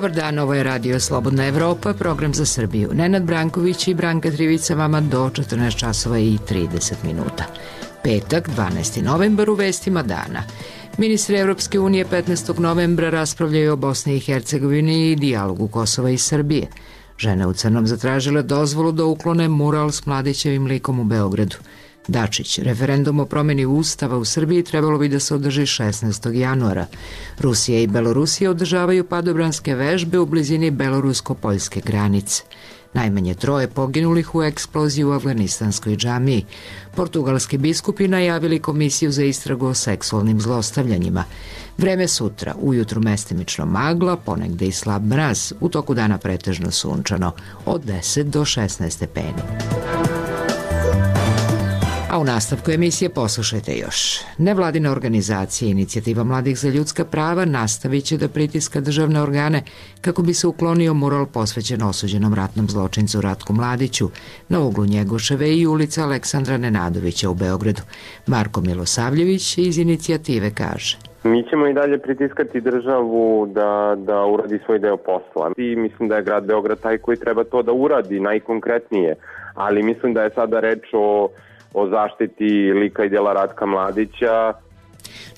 Dobar dan, ovo je Radio Slobodna Evropa, program za Srbiju. Nenad Branković i Branka Trivica vama do 14 časova i 30 minuta. Petak, 12. novembar, u vestima dana. Ministri Evropske unije 15. novembra raspravljaju o Bosni i Hercegovini i dijalogu Kosova i Srbije. Žene u crnom zatražile dozvolu da uklone mural s Mladićevim likom u Beogradu. Dačić, referendum o promjeni ustava u Srbiji trebalo bi da se održi 16. januara. Rusija i Belorusija održavaju padobranske vežbe u blizini belorusko-poljske granice. Najmanje 3 poginulih u eksploziji u afganistanskoj džamiji. Portugalski biskupi najavili komisiju za istragu o seksualnim zlostavljanjima. Vreme sutra, ujutru mestimično magla, ponegde i slab mraz, u toku dana pretežno sunčano, od 10 do 16 stepeni. A u nastavku emisije poslušajte još. Nevladina organizacija Inicijativa mladih za ljudska prava nastavit će da pritiska državne organe kako bi se uklonio mural posvećen osuđenom ratnom zločincu Ratku Mladiću na uglu Njegoševe i ulica Aleksandra Nenadovića u Beogradu. Marko Milosavljević iz Inicijative kaže: Mi ćemo i dalje pritiskati državu da uradi svoj deo posla. I mislim da je grad Beograd taj koji treba to da uradi najkonkretnije, ali mislim da je sada reč o zaštiti lika i djela Ratka Mladića.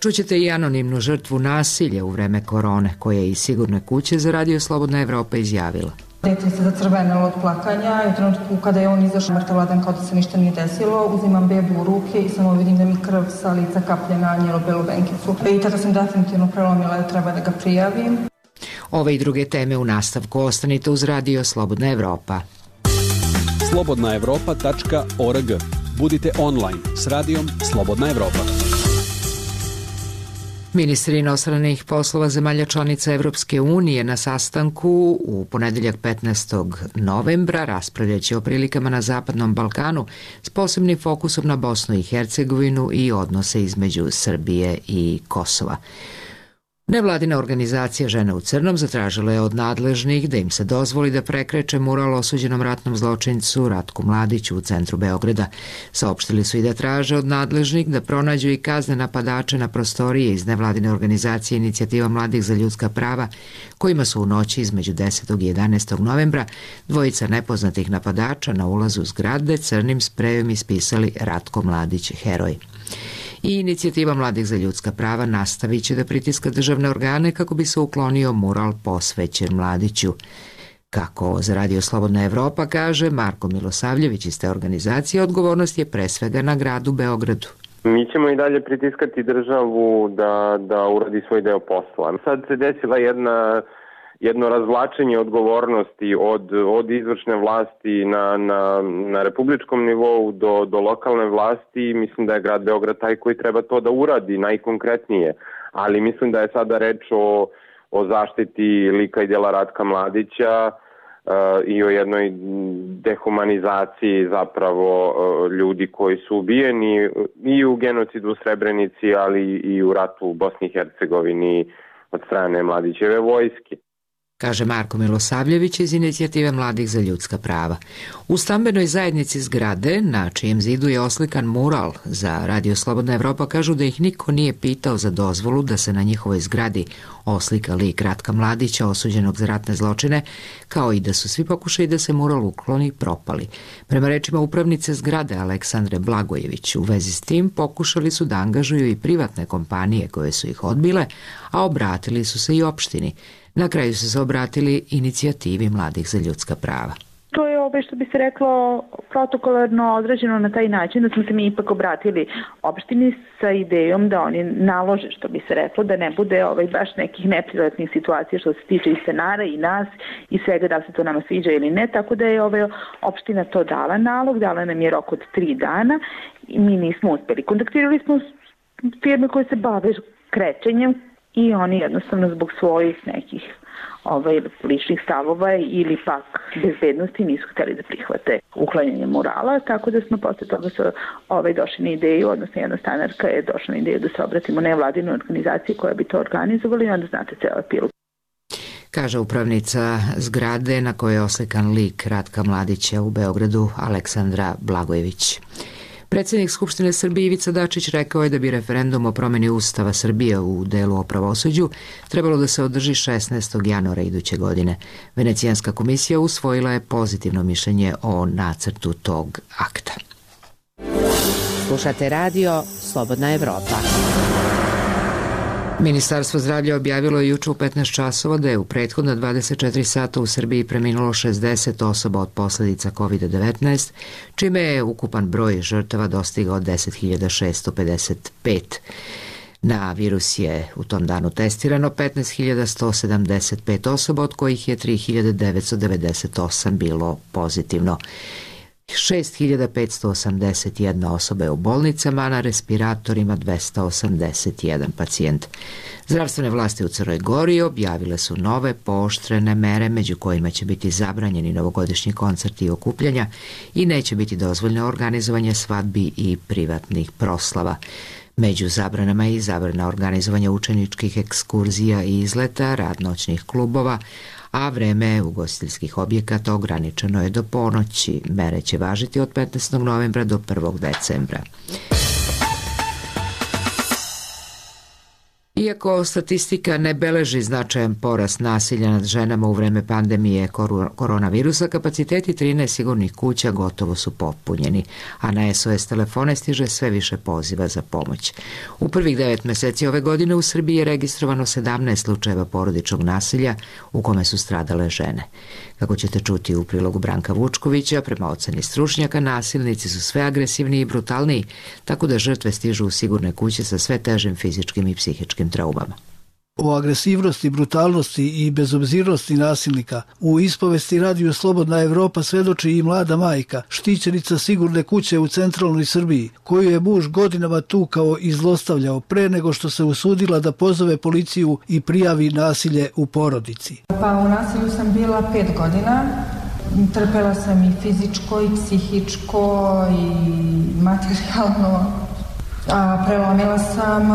Čućete i anonimnu žrtvu nasilja u vreme korone, koja je iz Sigurne kuće za Radio Slobodna Evropa izjavila. Dete se zacrvenilo od plakanja i u trenutku kada je on izašao mrtvadan kao da se ništa nije desilo, uzimam bebu u ruke i samo vidim da mi krv sa lica kaplje na njelu belu benkicu. I tada sam definitivno prelomila da treba da ga prijavim. Ove i druge teme u nastavku ostanite uz Radio Slobodna Evropa. slobodnaevropa.org. Budite online s radijom Slobodna Evropa. Ministri inostranih poslova zemalja članica Evropske unije na sastanku u ponedeljak 15. novembra raspravljaće o prilikama na Zapadnom Balkanu s posebnim fokusom na Bosnu i Hercegovinu i odnose između Srbije i Kosova. Nevladina organizacija Žene u crnom zatražila je od nadležnih da im se dozvoli da prekreče mural osuđenom ratnom zločincu Ratku Mladiću u centru Beograda. Saopštili su i da traže od nadležnih da pronađu i kazne napadače na prostorije iz nevladine organizacije Inicijativa mladih za ljudska prava, kojima su u noći između 10. i 11. novembra dvojica nepoznatih napadača na ulazu zgrade crnim sprejom ispisali Ratko Mladić heroj. I Inicijativa mladih za ljudska prava nastavit će da pritiska državne organe kako bi se uklonio mural posvećen Mladiću. Kako za Radio Slobodna Evropa kaže Marko Milosavljević iz te organizacije, odgovornost je pre svega na gradu Beogradu. Mi ćemo i dalje pritiskati državu da uradi svoj deo posla. Sad se desila jedno razvlačenje odgovornosti od izvršne vlasti na republičkom nivou do lokalne vlasti. Mislim da je grad Beograd taj koji treba to da uradi najkonkretnije, ali mislim da je sada reč o zaštiti lika i djela Ratka Mladića i o jednoj dehumanizaciji zapravo ljudi koji su ubijeni i u genocidu u Srebrenici, ali i u ratu u Bosni i Hercegovini od strane Mladićeve vojske, kaže Marko Milosavljević iz Inicijative mladih za ljudska prava. U stambenoj zajednici zgrade, na čijem zidu je oslikan mural za Radio Slobodna Evropa, kažu da ih niko nije pitao za dozvolu da se na njihovoj zgradi oslika lik Ratka Mladića osuđenog za ratne zločine, kao i da su svi pokušaji da se mural ukloni propali. Prema rečima upravnice zgrade Aleksandre Blagojević, u vezi s tim pokušali su da angažuju i privatne kompanije koje su ih odbile, a obratili su se i opštini. Na kraju su se obratili Inicijativi mladih za ljudska prava. To je što bi se reklo protokolarno određeno na taj način da smo se mi ipak obratili opštini sa idejom da oni nalože, što bi se reklo, da ne bude baš nekih neprijatnih situacija što se tiče i stanara i nas i svega, da se to nama sviđa ili ne, tako da je opština to dala nalog, dala nam je rok od 3 dana i mi nismo uspeli. Kontaktirali smo firme koje se bave krečenjem i oni jednostavno zbog svojih nekih ličnih stavova ili pak bezbednosti nisu hteli da prihvate uklanjanje murala, tako da smo posle toga došli na ideju, odnosno jedna stanarka je došla na ideju da se obratimo nevladinoj organizaciji koja bi to organizovala i onda znate ceo epilog. Kaže upravnica zgrade na kojoj je oslikan lik Ratka Mladića u Beogradu Aleksandra Blagojević. Predsjednik Skupštine Srbije Ivica Dačić rekao je da bi referendum o promjeni Ustava Srbije u delu o pravosuđu trebalo da se održi 16. januara iduće godine. Venecijanska komisija usvojila je pozitivno mišljenje o nacrtu tog akta. Slušate radio Slobodna Evropa. Ministarstvo zdravlja objavilo je juče u 15 časova da je u prethodna 24 sata u Srbiji preminulo 60 osoba od posljedica COVID-19, čime je ukupan broj žrtava dostigao 10.655. Na virus je u tom danu testirano 15.175 osoba, od kojih je 3.998 bilo pozitivno. 6.581 osoba je u bolnicama, a na respiratorima 281 pacijent. Zdravstvene vlasti u Crnoj Gori objavile su nove pooštrene mere, među kojima će biti zabranjeni novogodišnji koncerti i okupljanja i neće biti dozvoljeno organizovanje svadbi i privatnih proslava. Među zabranama je i zabrana organizovanja učeničkih ekskurzija i izleta, rad noćnih klubova, a vreme ugostiteljskih objekata ograničeno je do ponoći. Mere će važiti od 15. novembra do 1. decembra. Iako statistika ne beleži značajan porast nasilja nad ženama u vreme pandemije koronavirusa, kapaciteti 13 sigurnih kuća gotovo su popunjeni, a na SOS telefone stiže sve više poziva za pomoć. U prvih 9 meseci ove godine u Srbiji je registrovano 17 slučajeva porodičnog nasilja u kome su stradale žene. Kako ćete čuti u prilogu Branka Vučkovića, prema oceni stručnjaka, nasilnici su sve agresivniji i brutalniji, tako da žrtve stižu u sigurne kuće sa sve težim fizičkim i psihičkim traumama. O agresivnosti, brutalnosti i bezobzirnosti nasilnika u ispovesti radiju Slobodna Evropa svedoči i mlada majka, štićenica sigurne kuće u centralnoj Srbiji, koju je muž godinama tukao i zlostavljao pre nego što se usudila da pozove policiju i prijavi nasilje u porodici. Pa u nasilju sam bila 5 godina. Trpela sam i fizičko i psihičko i materijalno. Prelomila sam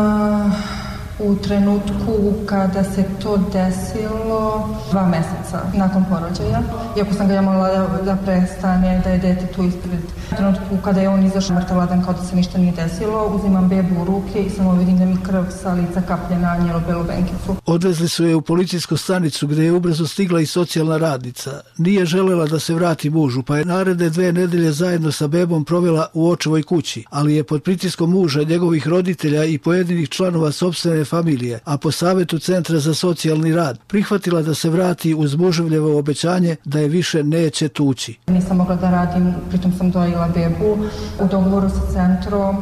u trenutku kada se to desilo 2 meseca nakon porođaja. Iako sam ga ja molila da prestane, da je dete tu ispred. U trenutku kada je on izašao mrtavladan kao da se ništa nije desilo, uzimam bebu u ruke i samo vidim da mi krv sa lica kaplje na njelo-belu benkicu. Odvezli su je u policijsku stanicu gde je ubrzo stigla i socijalna radnica. Nije želela da se vrati mužu, pa je naredne 2 nedelje zajedno sa bebom provela u očevoj kući, ali je pod pritiskom muža, njegovih roditelja i pojedinih članova sopstvene familije, a po savetu Centra za socijalni rad, prihvatila da se vrati uz muževljevo obećanje da je više neće tući. Nisam mogla da radim, pritom sam dojila bebu. U dogovoru sa centrom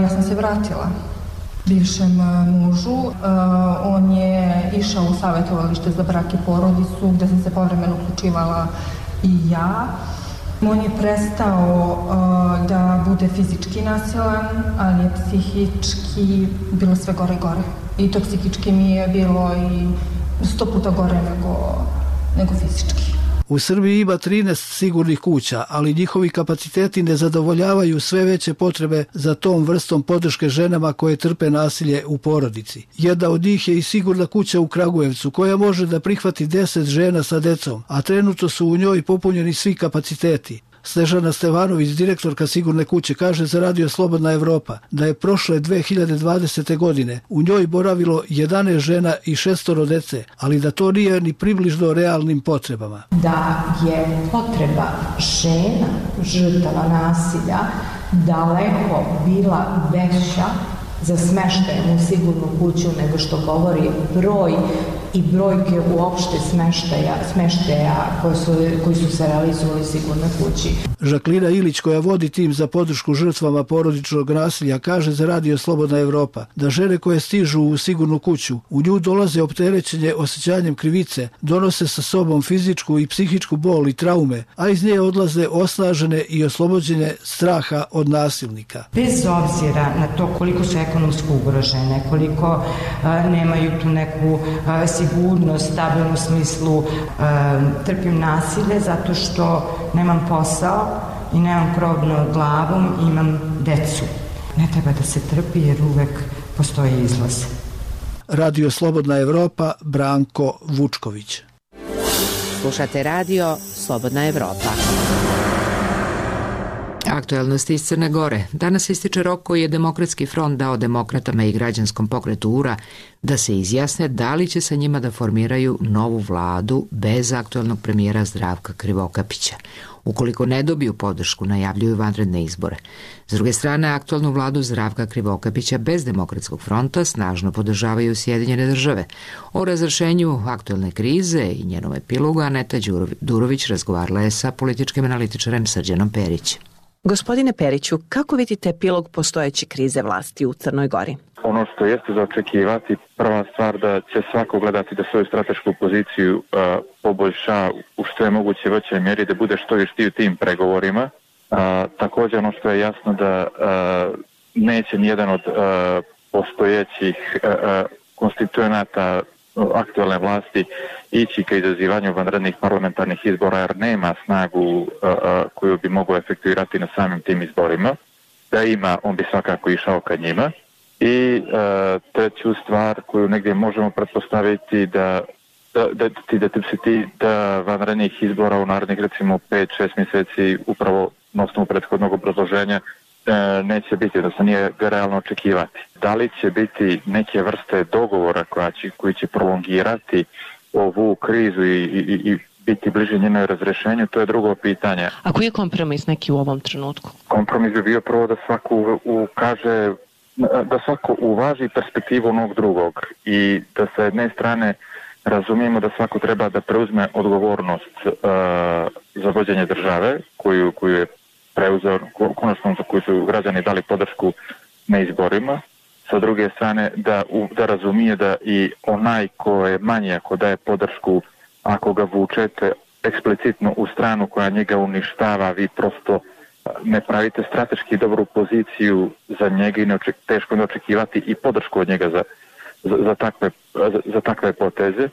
ja sam se vratila bivšem mužu. On je išao u savjetovalište za brak i porodicu, gde sam se povremeno uključivala i ja. On je prestao da bude fizički nasilan, ali je psihički bilo sve gore i gore. I to psihički mi je bilo i 100 puta gore nego fizički. U Srbiji ima 13 sigurnih kuća, ali njihovi kapaciteti ne zadovoljavaju sve veće potrebe za tom vrstom podrške ženama koje trpe nasilje u porodici. Jedna od njih je i sigurna kuća u Kragujevcu, koja može da prihvati 10 žena sa decom, a trenutno su u njoj popunjeni svi kapaciteti. Snežana Stevanović, direktorka sigurne kuće, kaže za radio Slobodna Evropa da je prošle 2020. godine u njoj boravilo 11 žena i 6 dece, ali da to nije ni približno realnim potrebama. Da je potreba žena, žrtava nasilja, daleko bila veća za smeštajem u sigurnu kuću nego što govori broj i brojke uopšte smeštaja koji su se realizovali u sigurnoj kući. Žaklina Ilić, koja vodi tim za podršku žrtvama porodičnog nasilja, kaže za radio Slobodna Evropa da žene koje stižu u sigurnu kuću u nju dolaze opterećenje osjećanjem krivice, donose sa sobom fizičku i psihičku bol i traume, a iz nje odlaze osnažene i oslobođene straha od nasilnika. Bez obzira na to koliko su ekonomski ugrožene, koliko nemaju tu neku sigurnost, stabilnu smislu, trpim nasilje zato što nemam posao i nemam krov nad glavom i imam decu. Ne treba da se trpi jer uvek postoji izlaz. Radio Slobodna Evropa, Branko Vučković. Slušate radio Slobodna Evropa. Aktuelnosti iz Crne Gore. Danas ističe rok koji je Demokratski front dao demokratama i građanskom pokretu URA da se izjasne da li će sa njima da formiraju novu vladu bez aktuelnog premijera Zdravka Krivokapića. Ukoliko ne dobiju podršku, najavljuju vanredne izbore. S druge strane, aktualnu vladu Zdravka Krivokapića bez Demokratskog fronta snažno podržavaju Sjedinjene države. O razrešenju aktuelne krize i njenom epilogu Aneta Durović razgovarala je sa političkim analitičarem Srđanom Perićem. Gospodine Periću, kako vidite epilog postojeće krize vlasti u Crnoj Gori? Ono što jeste za očekivati, prva stvar da će svako gledati da svoju stratešku poziciju poboljša u što je moguće većoj mjeri, da bude što vještiji u tim pregovorima. Također ono što je jasno da neće nijedan od postojećih konstituenata aktualne vlasti ići ka izazivanju vanrednih parlamentarnih izbora jer nema snagu koju bi mogao efektuirati na samim tim izborima. Da ima, on bi svakako išao ka njima. I treću stvar koju negdje možemo pretpostaviti da vanrednih izbora u narednih recimo 5-6 mjeseci upravo na osnovu prethodnog obrazloženja neće biti, da se nije realno očekivati. Da li će biti neke vrste dogovora koji će prolongirati ovu krizu i biti bliže njenoj razrešenju, to je drugo pitanje. A koji je kompromis neki u ovom trenutku? Kompromis bi bio prvo da svako uvaži perspektivu onog drugog i da sa jedne strane razumijemo da svako treba da preuzme odgovornost za vođenje države koju je preuzeo, konačno za koju su građani dali podršku na izborima. Sa druge strane da razumije da i onaj ko je manji ako daje podršku, ako ga vučete eksplicitno u stranu koja njega uništava, vi prosto ne pravite strateški dobru poziciju za njega i teško je očekivati i podršku od njega za takve poteze.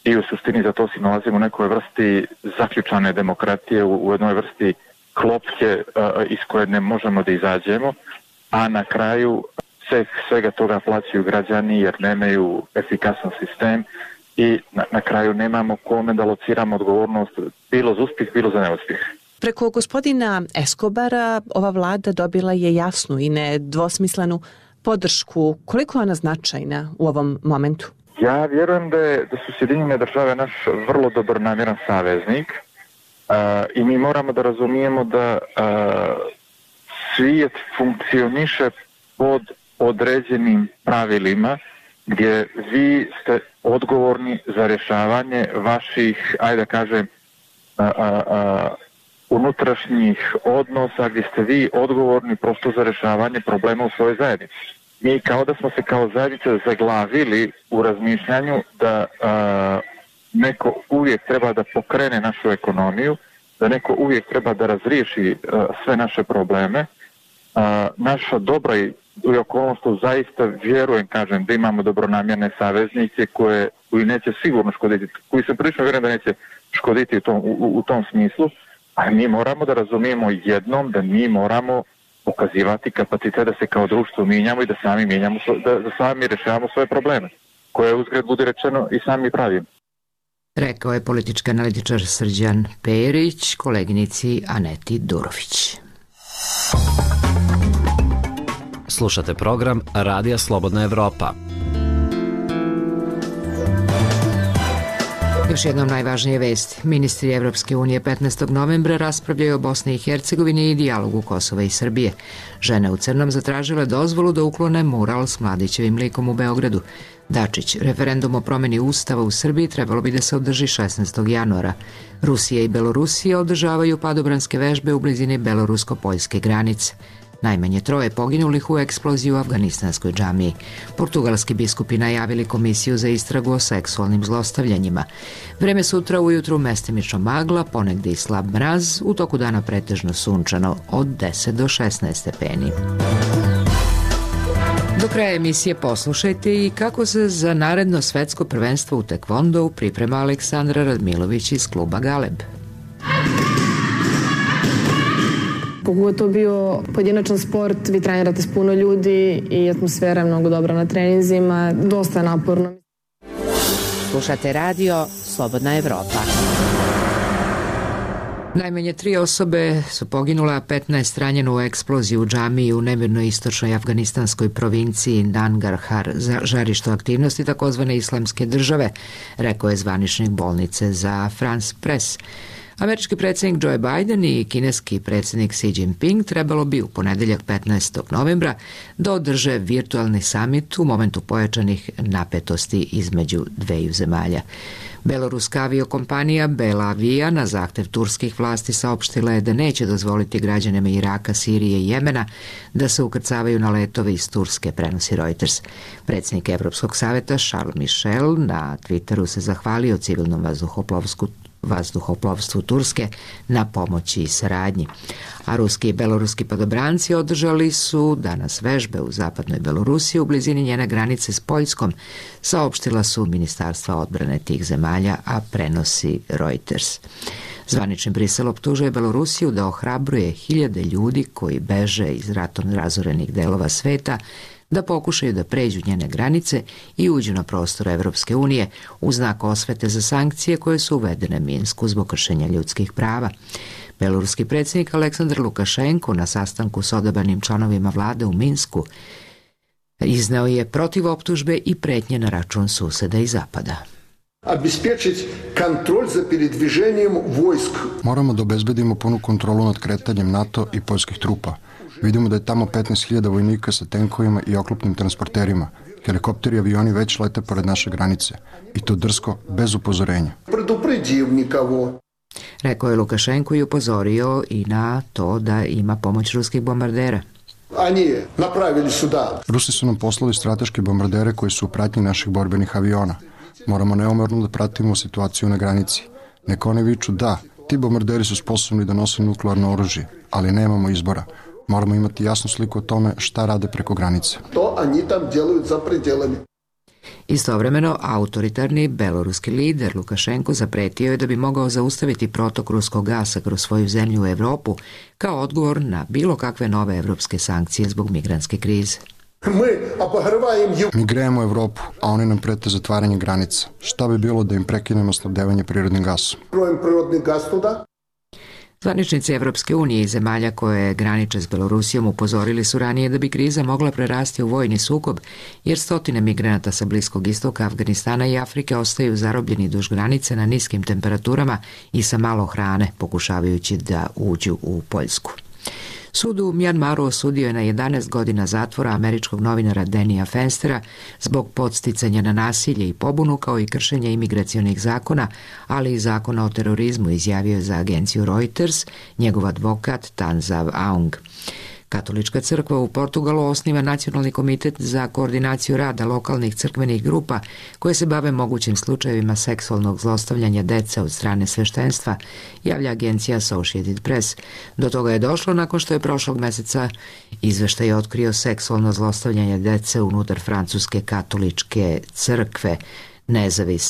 I u suštini za to si nalazimo u nekoj vrsti zaključane demokratije, u jednoj vrsti klopke iz koje ne možemo da izađemo, a na kraju svega toga plaćaju građani jer nemaju efikasan sistem i na kraju nemamo kome da lociramo odgovornost bilo za uspjeh, bilo za neuspjeh. Preko gospodina Escobara ova vlada dobila je jasnu i nedvosmislenu podršku. Koliko je ona značajna u ovom momentu? Ja vjerujem da su Sjedinjene države naš vrlo dobronamjeran saveznik i mi moramo da razumijemo da svijet funkcioniše pod određenim pravilima gdje vi ste odgovorni za rješavanje vaših, ajde da kažem, unutrašnjih odnosa gdje ste vi odgovorni prosto za rješavanje problema u svojoj zajednici. Mi kao da smo se kao zajednica zaglavili u razmišljanju da neko uvijek treba da pokrene našu ekonomiju, da neko uvijek treba da razriješi sve naše probleme. Naša dobra i okolnost, zaista vjerujem, kažem, da imamo dobronamjerne saveznike koji neće sigurno škoditi, koji sam prilično vjerujem da neće škoditi u tom smislu, a mi moramo da razumijemo jednom da mi moramo pokazivati kapacitet da se kao društvo mijenjamo i da sami rješavamo svoje probleme, koje uzgred bude rečeno i sami pravimo. Rekao je politički analitičar Srđan Perić koleginici Aneti Durović. Slušate program Radija Slobodna Evropa. Još jednom najvažnije vesti. Ministri Evropske unije 15. novembra raspravljaju o Bosni i Hercegovini i dijalogu Kosova i Srbije. Žene u crnom zatražile dozvolu da uklone mural s Mladićevim likom u Beogradu. Dačić, referendum o promjeni ustava u Srbiji trebalo bi da se održi 16. januara. Rusija i Belorusija održavaju padobranske vežbe u blizini belorusko-poljske granice. Najmanje 3 poginulih u eksploziji u afganistanskoj džamiji. Portugalski biskupi najavili komisiju za istragu o seksualnim zlostavljanjima. Vreme sutra ujutru mestimično magla, ponegdje i slab mraz, u toku dana pretežno sunčano od 10 do 16 stepeni. Do kraja emisije poslušajte i kako se za naredno svetsko prvenstvo u tekvondou priprema Aleksandra Radmilović iz kluba Galeb. Koliko je to bio pojedinačan sport, vi trenirate s puno ljudi i atmosfera je mnogo dobra na treninzima, dosta je naporno. Slušate radio Slobodna Evropa. Najmanje 3 osobe su poginule, a 15 ranjeno u eksploziji u džamiji u nemirnoj istočnoj afganistanskoj provinciji Nangarhar, žarište aktivnosti takozvane islamske države, rekao je zvaničnik bolnice za France Press. Američki predsjednik Joe Biden i kineski predsjednik Xi Jinping trebalo bi u ponedeljak 15. novembra da održe virtualni samit u momentu pojačanih napetosti između dveju zemalja. Beloruska aviokompanija Belavia na zahtev turskih vlasti saopštila je da neće dozvoliti građanima Iraka, Sirije i Jemena da se ukrcavaju na letove iz Turske, prenosi Reuters. Predsjednik Evropskog saveta Charles Michel na Twitteru se zahvalio civilnom vazduhoplovstvu Turske na pomoći i saradnji. A ruski i beloruski padobranci održali su danas vežbe u zapadnoj Belorusiji u blizini njene granice s Poljskom, saopštila su ministarstva odbrane tih zemalja, a prenosi Reuters. Zvanični Brisel optužuje Belorusiju da ohrabruje hiljade ljudi koji beže iz ratom razorenih delova sveta da pokušaju da pređu njene granice i uđu na prostor Evropske unije u znak osvete za sankcije koje su uvedene Minsku zbog kršenja ljudskih prava. Beloruski predsjednik Aleksandar Lukašenko na sastanku s odabranim članovima vlade u Minsku izneo je protiv optužbe i pretnje na račun suseda i zapada. Обеспечить контроль за передвижением войск. Moramo da obezbedimo punu kontrolu nad kretanjem NATO i poljskih trupa. Vidimo da je tamo 15.000 vojnika sa tenkovima i oklopnim transporterima. Helikopteri i avioni već lete pored naše granice. I to drsko, bez upozorenja. Предупредив никого. Rekao je Lukašenko i upozorio i na to da ima pomoć ruskih bombardera. Они направили сюда. Rusi su nam poslali strateške bombardere koji su u pratnji naših borbenih aviona. Moramo neumorno da pratimo situaciju na granici. Neka oni viču da, ti bombarderi su sposobni da nose nuklearno oružje, ali nemamo izbora. Moramo imati jasnu sliku o tome šta rade preko granice. To oni tam делают za пределами. Istovremeno, autoritarni beloruski lider Lukašenko zapretio je da bi mogao zaustaviti protok ruskog gasa kroz svoju zemlju u Evropu kao odgovor na bilo kakve nove evropske sankcije zbog migrantske krize. Mi grejemo Evropu, a oni nam prete zatvaranje granica. Šta bi bilo da im prekinemo snabdevanje prirodnim gasom? Zvaničnici Evropske unije i zemalja koje graniče s Belorusijom upozorili su ranije da bi kriza mogla prerasti u vojni sukob, jer stotine migranata sa Bliskog istoka, Afganistana i Afrike ostaju zarobljeni duž granice na niskim temperaturama i sa malo hrane, pokušavajući da uđu u Poljsku. Sud u Mjanmaru osudio je na 11 godina zatvora američkog novinara Denija Fenstera zbog podsticanja na nasilje i pobunu kao i kršenja imigracionih zakona, ali i zakona o terorizmu, izjavio je za agenciju Reuters njegov advokat Tanzav Aung. Katolička crkva u Portugalu osniva Nacionalni komitet za koordinaciju rada lokalnih crkvenih grupa koje se bave mogućim slučajevima seksualnog zlostavljanja dece od strane sveštenstva, javlja agencija Associated Press. Do toga je došlo nakon što je prošlog meseca izveštaj otkrio seksualno zlostavljanje dece unutar francuske katoličke crkve.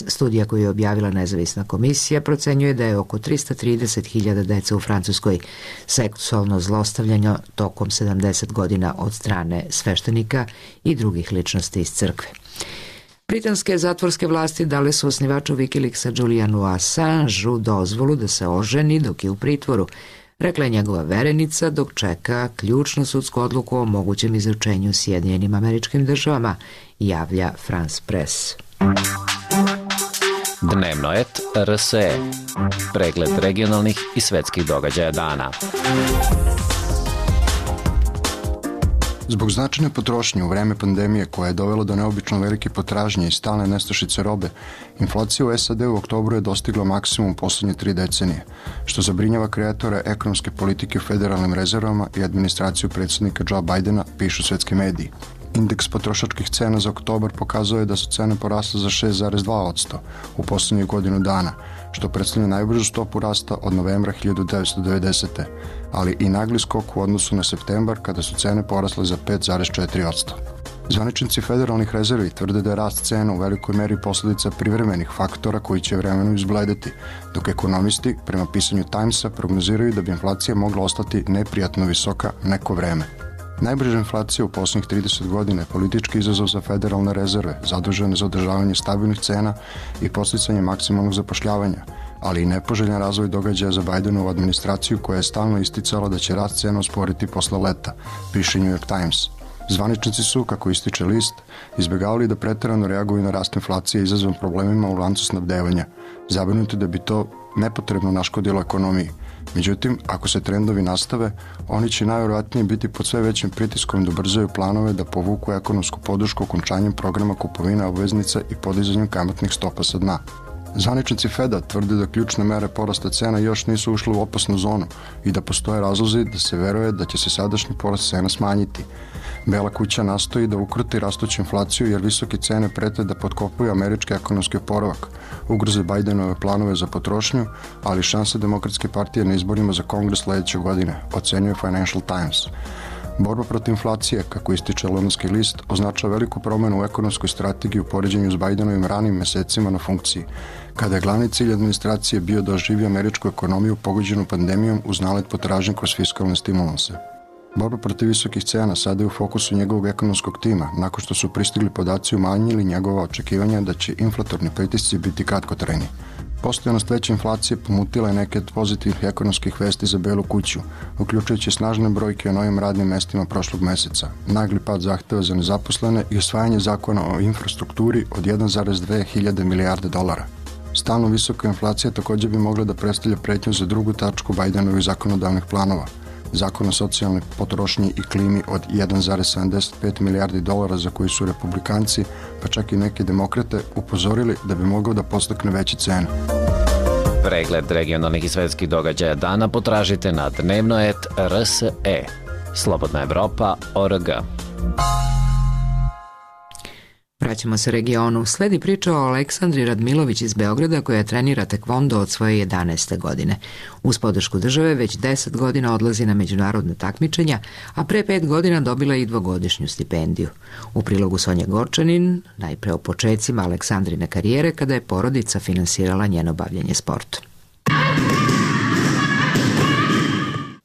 Studija koju je objavila nezavisna komisija procenjuje da je oko 330.000 dece u Francuskoj seksualno zlostavljano tokom 70 godina od strane sveštenika i drugih ličnosti iz crkve. Britanske zatvorske vlasti dale su osnivaču Wikileaksa Julianu Assangeu dozvolu da se oženi dok je u pritvoru, rekla je njegova verenica dok čeka ključnu sudsku odluku o mogućem izručenju Sjedinjenim Američkim Državama, javlja France Press. Dnevno et RSE. Pregled regionalnih i svetskih događaja dana. Zbog značajne potrošnje u vreme pandemije koja je dovela do neobično velike potražnje i stalne nestašice robe, inflacija u SAD u oktobru je dostigla maksimum poslednje 3 decenije, što zabrinjava kreatore ekonomske politike u federalnim rezervama i administraciju predsjednika Joe Bidena, pišu svetski mediji. Indeks potrošačkih cena za oktobar pokazuje da su cene porasle za 6,2% u poslednjih godinu dana, što predstavlja najbržu stopu rasta od novembra 1990. ali i nagli skok u odnosu na septembar kada su cene porasle za 5,4%. Zvaničnici federalnih rezervi tvrde da je rast cena u velikoj meri posledica privremenih faktora koji će vremenom izbledeti, dok ekonomisti, prema pisanju Timesa, prognoziraju da bi inflacija mogla ostati neprijatno visoka neko vreme. Najbrža inflacija u poslednjih 30 godina je politički izazov za federalne rezerve, zadužene za održavanje stabilnih cena i podsticanje maksimalnog zapošljavanja, ali i nepoželjan razvoj događaja za Bidenovu administraciju koja je stalno isticala da će rast cena usporiti posle leta, piše New York Times. Zvaničnici su, kako ističe list, izbjegavali da preterano reaguju na rast inflacije izazvan problemima u lancu snabdevanja, zabrinuti da bi to nepotrebno naškodilo ekonomiji. Međutim, ako se trendovi nastave, oni će najvjerojatnije biti pod sve većim pritiskom da ubrzaju planove da povuku ekonomsku podršku okončanjem programa kupovine obveznica i podizanjem kamatnih stopa sa dna. Zvaničnici Feda tvrde da ključne mere porasta cena još nisu ušle u opasnu zonu i da postoje razlozi da se veruje da će se sadašnji porast cena smanjiti. Bela kuća nastoji da ukroti rastuću inflaciju jer visoke cene prete da potkopuju američki ekonomski oporavak, ugroze Bidenove planove za potrošnju, ali šanse Demokratske partije na izborima za Kongres sledeće godine, ocenjuje Financial Times. Borba protiv inflacije, kako ističe londonski list, označava veliku promenu u ekonomskoj strategiji u poređenju s Bidenovim ranim mesecima na funkciji, kada je glavni cilj administracije bio da oživi američku ekonomiju pogođenu pandemijom uz nalet potražnje kroz fiskalne stimulanse. Borba protiv visokih cena sada je u fokusu njegovog ekonomskog tima, nakon što su pristigli podaci umanjili njegova očekivanja da će inflatorni pritisci biti kratkotrajni. Postojanost veće inflacije pomutila je neke od pozitivnih ekonomskih vesti za Belu kuću, uključujući snažne brojke o novim radnim mestima prošlog meseca, nagli pad zahteva za nezaposlene i usvajanje zakona o infrastrukturi od 1,2 hiljade milijarde dolara. Stalno visoka inflacija također bi mogla da predstavlja pretnju za drugu tačku Bidenovih zakonodavnih planova, zakon o socijalnoj potrošnji i klimi od 1,75 milijardi dolara za koji su republikanci, pa čak i neki demokrate, upozorili da bi mogao da podstakne veće cene. Pregled regionalnih i svetskih događaja dana potražite na dnevno.rs.e. Slobodna Evropa.org. Vraćamo se regionu. Sledi priča o Aleksandri Radmilović iz Beograda koja trenira tekvondo od svoje 11. godine. Uz podršku države već 10 godina odlazi na međunarodne takmičenja, a pre 5 godina dobila i 2-godišnju stipendiju. U prilogu Sonja Gorčanin, najpre o počecima Aleksandrine karijere kada je porodica finansirala njeno bavljenje sportom.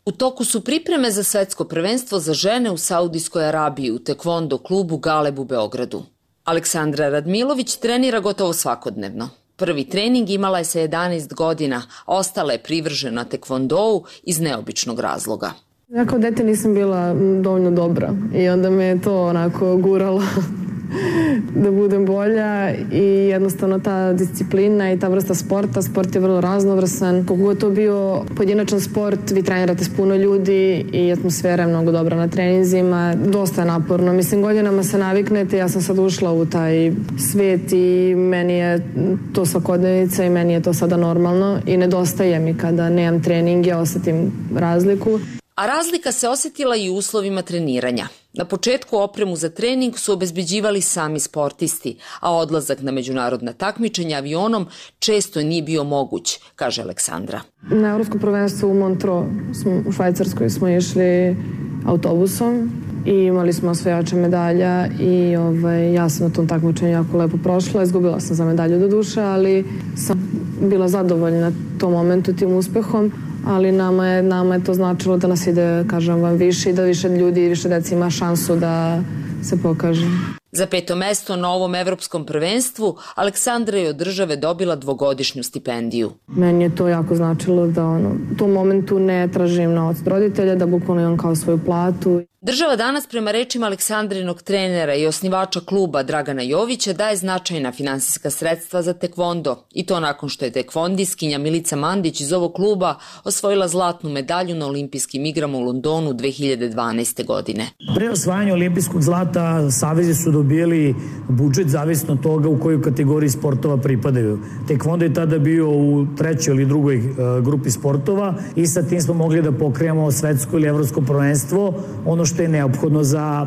U toku su pripreme za svetsko prvenstvo za žene u Saudijskoj Arabiji u tekvondo klubu Galeb u Beogradu. Aleksandra Radmilović trenira gotovo svakodnevno. Prvi trening imala je sa 11 godina, a ostala je privržena tekvondou iz neobičnog razloga. Ja kao dete nisam bila dovoljno dobra i onda me je to onako guralo da budem bolja i jednostavno ta disciplina i ta vrsta sporta, sport je vrlo raznovrsan. Koliko je to bio pojedinačan sport, vi trenirate s puno ljudi i atmosfera je mnogo dobra na treninzima, dosta je naporno. Mislim, godinama se naviknete, ja sam sad ušla u taj svet i meni je to svakodnevnica i meni je to sada normalno i nedostaje mi kada nemam treninge, osetim razliku. A razlika se osjetila i u uslovima treniranja. Na početku opremu za trening su obezbeđivali sami sportisti, a odlazak na međunarodna takmičenja avionom često nije bio moguć, kaže Aleksandra. Na Evropskom prvenstvu u Montreux u Švajcarskoj smo išli autobusom i imali smo osvajače medalja i ja sam na tom takmičenju jako lepo prošla. Izgubila sam za medalju do duše, ali sam bila zadovoljna tom momentu, tim uspehom. Ali nama je to značilo da nas ide, kažem vam, više i da više ljudi i više deci ima šansu da se pokaže. Za 5. mesto na ovom evropskom prvenstvu Aleksandra je od države dobila 2-godišnju stipendiju. Meni je to jako značilo da u tom momentu ne tražim novac od roditelja, da bukvalno imam kao svoju platu. Država danas prema rečima Aleksandrinog trenera i osnivača kluba Dragana Jovića daje značajna finansijska sredstva za tekvondo i to nakon što je tekvondiskinja Milica Mandić iz ovog kluba osvojila zlatnu medalju na olimpijskim igrama u Londonu 2012. godine. Pre osvajanja olimpijskog zlata savezi su dobili budžet zavisno od toga u kojoj kategoriji sportova pripadaju. Tekvondo je tada bio u 3. ili 2. grupi sportova i sa tim smo mogli da pokrijemo svetsko ili evropsko prvenstvo, ono što je neophodno za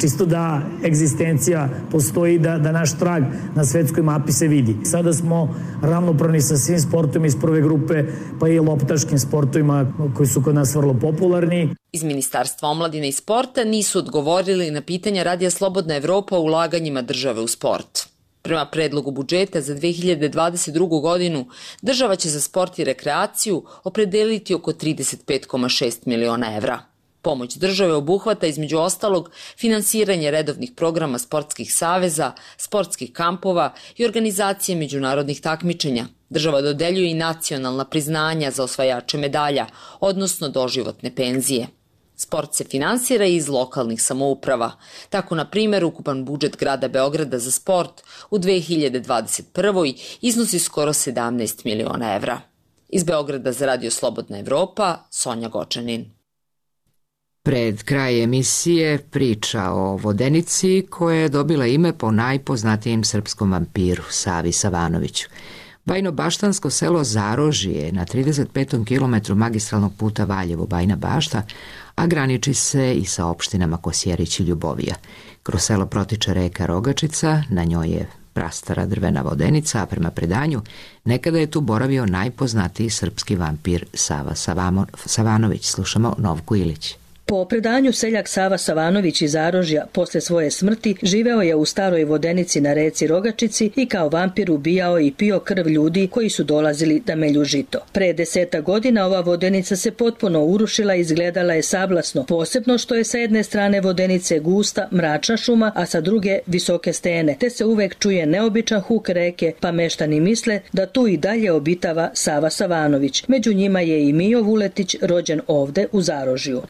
čisto da egzistencija postoji, da naš trag na svetskoj mapi se vidi. Sada smo ravnopravni sa svim sportovima iz prve grupe, pa i loptaškim sportovima koji su kod nas vrlo popularni. Iz Ministarstva omladine i sporta nisu odgovorili na pitanja Radija Slobodna Evropa o ulaganjima države u sport. Prema predlogu budžeta za 2022. godinu, država će za sport i rekreaciju opredeliti oko 35,6 miliona evra. Pomoć države obuhvata između ostalog finansiranje redovnih programa sportskih saveza, sportskih kampova i organizacije međunarodnih takmičenja. Država dodeljuje i nacionalna priznanja za osvajače medalja, odnosno doživotne penzije. Sport se finansira iz lokalnih samouprava. Tako, na primjer, ukupan budžet grada Beograda za sport u 2021. iznosi skoro 17 miliona evra. Iz Beograda za Radio Slobodna Evropa, Sonja Gočanin. Pred kraj emisije priča o vodenici koja je dobila ime po najpoznatijem srpskom vampiru, Savi Savanoviću. Bajno-baštansko selo Zarožje je na 35. kilometru magistralnog puta Valjevo-Bajna Bašta, a graniči se i sa opštinama Kosjerić i Ljubovija. Kroz selo protiče reka Rogačica, na njoj je prastara drvena vodenica, a prema predanju nekada je tu boravio najpoznatiji srpski vampir Sava Savanović. Slušamo Novku Ilić. Po predanju seljak Sava Savanović iz Zarožja posle svoje smrti živeo je u staroj vodenici na reci Rogačici i kao vampir ubijao i pio krv ljudi koji su dolazili da melju žito. Pre 10 godina ova vodenica se potpuno urušila i izgledala je sablasno, posebno što je sa jedne strane vodenice gusta, mračna šuma, a sa druge visoke stene, te se uvek čuje neobičan huk reke, pa meštani misle da tu i dalje obitava Sava Savanović. Među njima je i Mijo Vuletić, rođen ovde u Zarožju.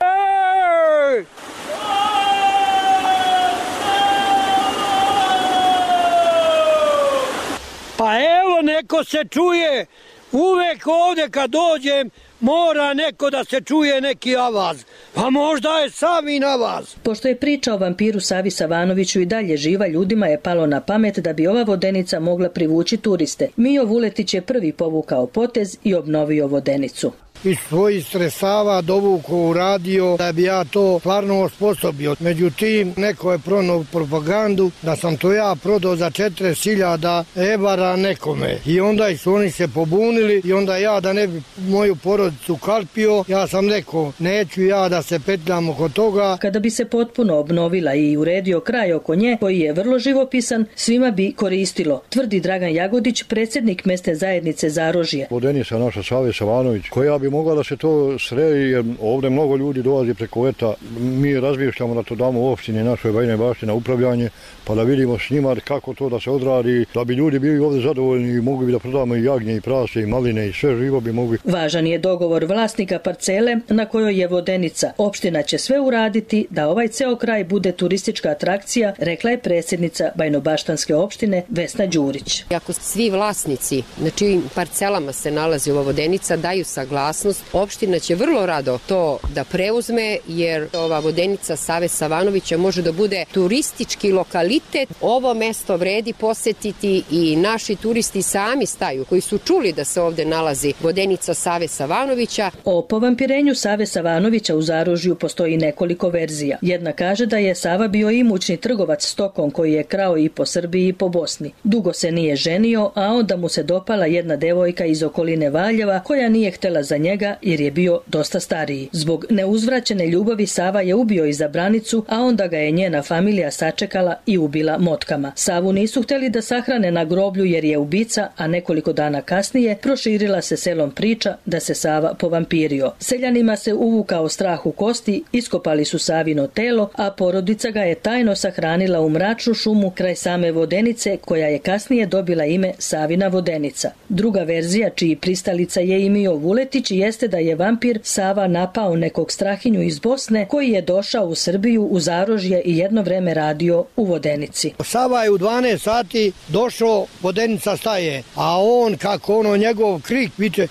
Pa evo, neko se čuje, uvek ovde kad dođem mora neko da se čuje neki avaz, pa možda je Savin avaz. Pošto je priča o vampiru Savi Savanoviću i dalje živa, ljudima je palo na pamet da bi ova vodenica mogla privući turiste. Mijo Vuletić je prvi povukao potez i obnovio vodenicu. Iz svojih sredstava dovukao u radio da bi ja to stvarno osposobio. Međutim, neko je pronao propagandu da sam to ja prodao za 40.000 evara nekome. I onda su oni se pobunili i onda ja da ne bi moju porodicu kalpio, ja sam rekao neću ja da se petljam oko toga. Kada bi se potpuno obnovila i uredio kraj oko nje, koji je vrlo živopisan, svima bi koristilo, tvrdi Dragan Jagodić, predsjednik mesne zajednice Zarožje. Vodenica naša Save Savanović, koja bi mogla da se to sredi, jer ovdje mnogo ljudi dolazi preko leta. Mi razmišljamo da to damo u opštini našoj Bajne Bašte na upravljanje, pa da vidimo s njima kako to da se odradi, da bi ljudi bili ovdje zadovoljni i mogli bi da prodamo i jagnje i prase i maline i sve živo bi mogli. Važan je dogovor vlasnika parcele na kojoj je vodenica. Opština će sve uraditi da ovaj ceo kraj bude turistička atrakcija, rekla je predsjednica Bajnobaštanske opštine Vesna Đurić. Ako svi vlasnici na čijim parcelama se nalazi ova vodenica daju saglasnost, opština će vrlo rado to da preuzme, jer ova vodenica Save Savanovića može da bude turistički lokalitet. Ovo mesto vredi posetiti i naši turisti sami staju, koji su čuli da se ovde nalazi vodenica Save Savanovića. O povampirenju Save Savanovića u Zarožju postoji nekoliko verzija. Jedna kaže da je Sava bio imućni trgovac stokom koji je krao i po Srbiji i po Bosni. Dugo se nije ženio, a onda mu se dopala jedna devojka iz okoline Valjeva koja nije htela za njega jer je bio dosta stariji. Zbog neuzvraćene ljubavi Sava je ubio i zabranicu, a onda ga je njena familija sačekala i ubila motkama. Savu nisu hteli da sahrane na groblju jer je ubica, a nekoliko dana kasnije proširila se selom priča da se Sava povampirio. Seljanima se uvukao strah u kosti, iskopali su Savino telo, a porodica ga je tajno sahranila u mračnu šumu kraj same vodenice, koja je kasnije dobila ime Savina vodenica. Druga verzija, čiji pristalica je i Mijo Vuletić, jeste da je vampir Sava napao nekog strahinju iz Bosne koji je došao u Srbiju u Zarožje i jedno vreme radio u vodenici. Sava je u 12 sati došao, vodenica staje, a on kako njegov krik viče.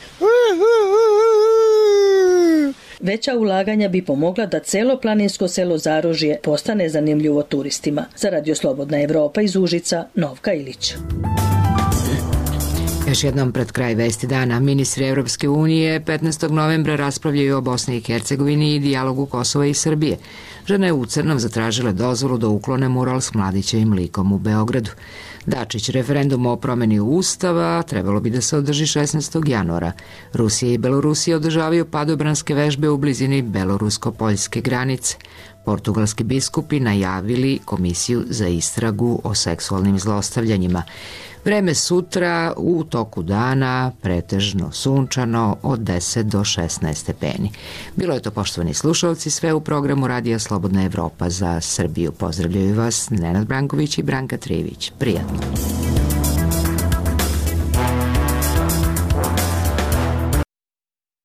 Veća ulaganja bi pomogla da celo planinsko selo Zarožje postane zanimljivo turistima. Za Radio Slobodna Evropa iz Užica, Novka Ilić. Još jednom pred kraj vesti dana, ministri Evropske unije 15. novembra raspravljaju o Bosni i Hercegovini i dijalogu Kosova i Srbije. Žene u crnom zatražile dozvolu da uklone mural s Mladićevim likom u Beogradu. Dačić, referendum o promeni Ustava trebalo bi da se održi 16. januara. Rusija i Belorusija održavaju padobranske vežbe u blizini belorusko-poljske granice. Portugalski biskupi najavili komisiju za istragu o seksualnim zlostavljanjima. Vreme sutra u toku dana pretežno sunčano od 10 do 16 stepeni. Bilo je to, poštovani slušalci, sve u programu Radija Slobodna Evropa za Srbiju. Pozdravljaju vas Nenad Branković i Branka Trivić. Prijatno.